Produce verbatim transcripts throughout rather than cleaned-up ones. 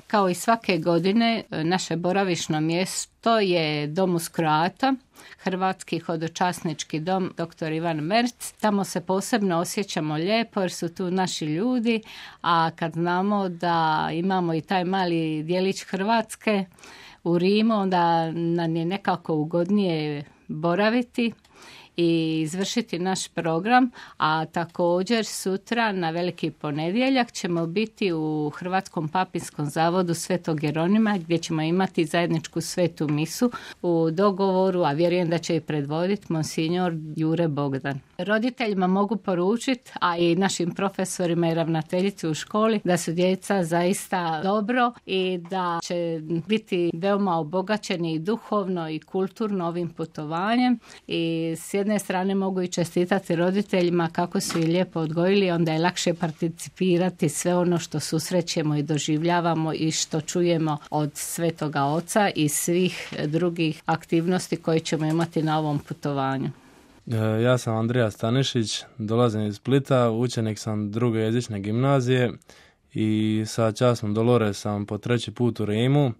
Kao i svake godine, naše boravišno mjesto je Dom uz Kroata, Hrvatski hodočasnički dom doktor Ivan Merc. Tamo se posebno osjećamo lijepo jer su tu naši ljudi, a kad znamo da imamo i taj mali dijelić Hrvatske u Rimu, onda nam je nekako ugodnije boraviti i izvršiti naš program, a također sutra na Veliki ponedjeljak ćemo biti u Hrvatskom papinskom zavodu Svetog Jeronima gdje ćemo imati zajedničku svetu misu u dogovoru, a vjerujem da će i predvoditi monsignor Jure Bogdan. Roditeljima mogu poručiti, a i našim profesorima i ravnateljici u školi, da su djeca zaista dobro i da će biti veoma obogaćeni i duhovno i kulturno ovim putovanjem i s jedne strane mogu i čestitati roditeljima kako su i lijepo odgojili, onda je lakše participirati sve ono što susrećemo i doživljavamo i što čujemo od Svetoga Oca i svih drugih aktivnosti koje ćemo imati na ovom putovanju. Ja sam Andrija Stanišić, dolazim iz Splita, učenik sam druge jezične gimnazije i sa časnom Dolores sam po treći put u Rimu.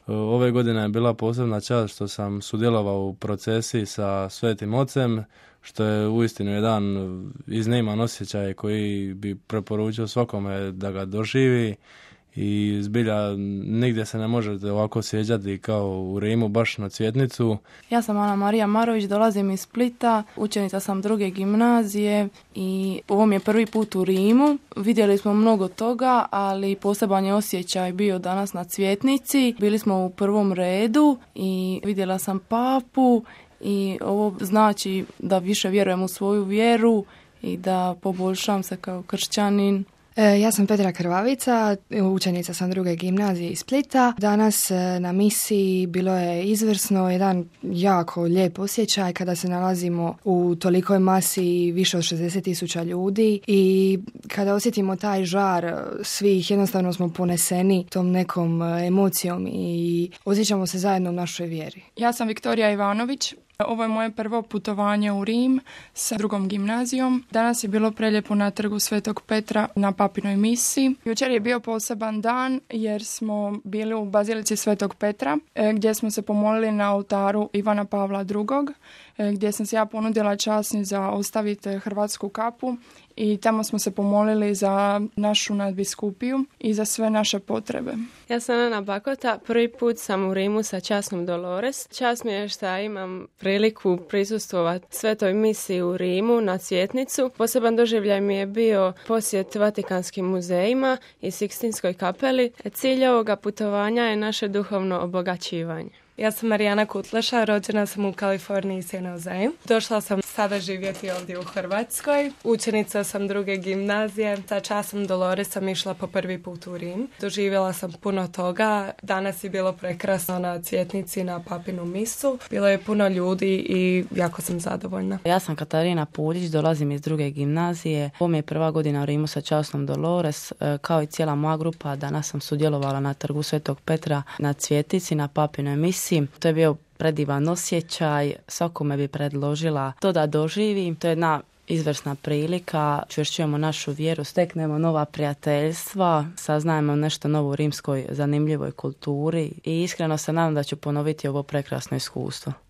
Ove godine je bila posebna čast što sam sudjelovao u procesiji sa Svetim Ocem, što je uistinu jedan izniman osjećaj koji bi preporučio svakome da ga doživi i zbilja nigdje se ne možete ovako sjeđati kao u Rimu, baš na Cvjetnicu. Ja sam Ana Marija Marović, dolazim iz Splita, učenica sam druge gimnazije i ovo mi je prvi put u Rimu. Vidjeli smo mnogo toga, ali poseban je osjećaj bio danas na Cvjetnici. Bili smo u prvom redu i vidjela sam papu i ovo znači da više vjerujem u svoju vjeru i da poboljšam se kao kršćanin. Ja sam Petra Krvavica, učenica sam druge gimnazije iz Splita. Danas na misiji bilo je izvrsno, jedan jako lijep osjećaj kada se nalazimo u tolikoj masi više od šezdeset tisuća ljudi i kada osjetimo taj žar svih, jednostavno smo poneseni tom nekom emocijom i osjećamo se zajedno u našoj vjeri. Ja sam Viktorija Ivanović. Ovo je moje prvo putovanje u Rim sa drugom gimnazijom. Danas je bilo prelijepo na trgu Svetog Petra na papinoj misi. Jučer je bio poseban dan jer smo bili u Bazilici Svetog Petra gdje smo se pomolili na oltaru Ivana Pavla drugog. Gdje sam se ja ponudila časni za ostaviti hrvatsku kapu i tamo smo se pomolili za našu nadbiskupiju i za sve naše potrebe. Ja sam Ana Bakota, prvi put sam u Rimu sa časnom Dolores. Čast mi je što imam priliku prisustvovati svetoj misiji u Rimu na Cvjetnicu. Poseban doživljaj mi je bio posjet Vatikanskim muzejima i Sikstinskoj kapeli. Cilj ovoga putovanja je naše duhovno obogaćivanje. Ja sam Marijana Kutleša, rođena sam u Kaliforniji, San Jose. Došla sam sada živjeti ovdje u Hrvatskoj. Učenica sam druge gimnazije. Sa časom Dolores sam išla po prvi put u Rim. Doživjela sam puno toga. Danas je bilo prekrasno na Cvjetnici na papinu misu. Bilo je puno ljudi i jako sam zadovoljna. Ja sam Katarina Puljić, dolazim iz druge gimnazije. Ovo mi je prva godina u Rimu sa časnom Dolores. Kao i cijela moja grupa, danas sam sudjelovala na trgu Svetog Petra na Cvjetici, na papinoj misi. To je bio predivan osjećaj, svakome bi predložila to da doživi. To je jedna izvrsna prilika, čvršćujemo našu vjeru, steknemo nova prijateljstva, saznajemo nešto novo u rimskoj zanimljivoj kulturi i iskreno se nadam da ću ponoviti ovo prekrasno iskustvo.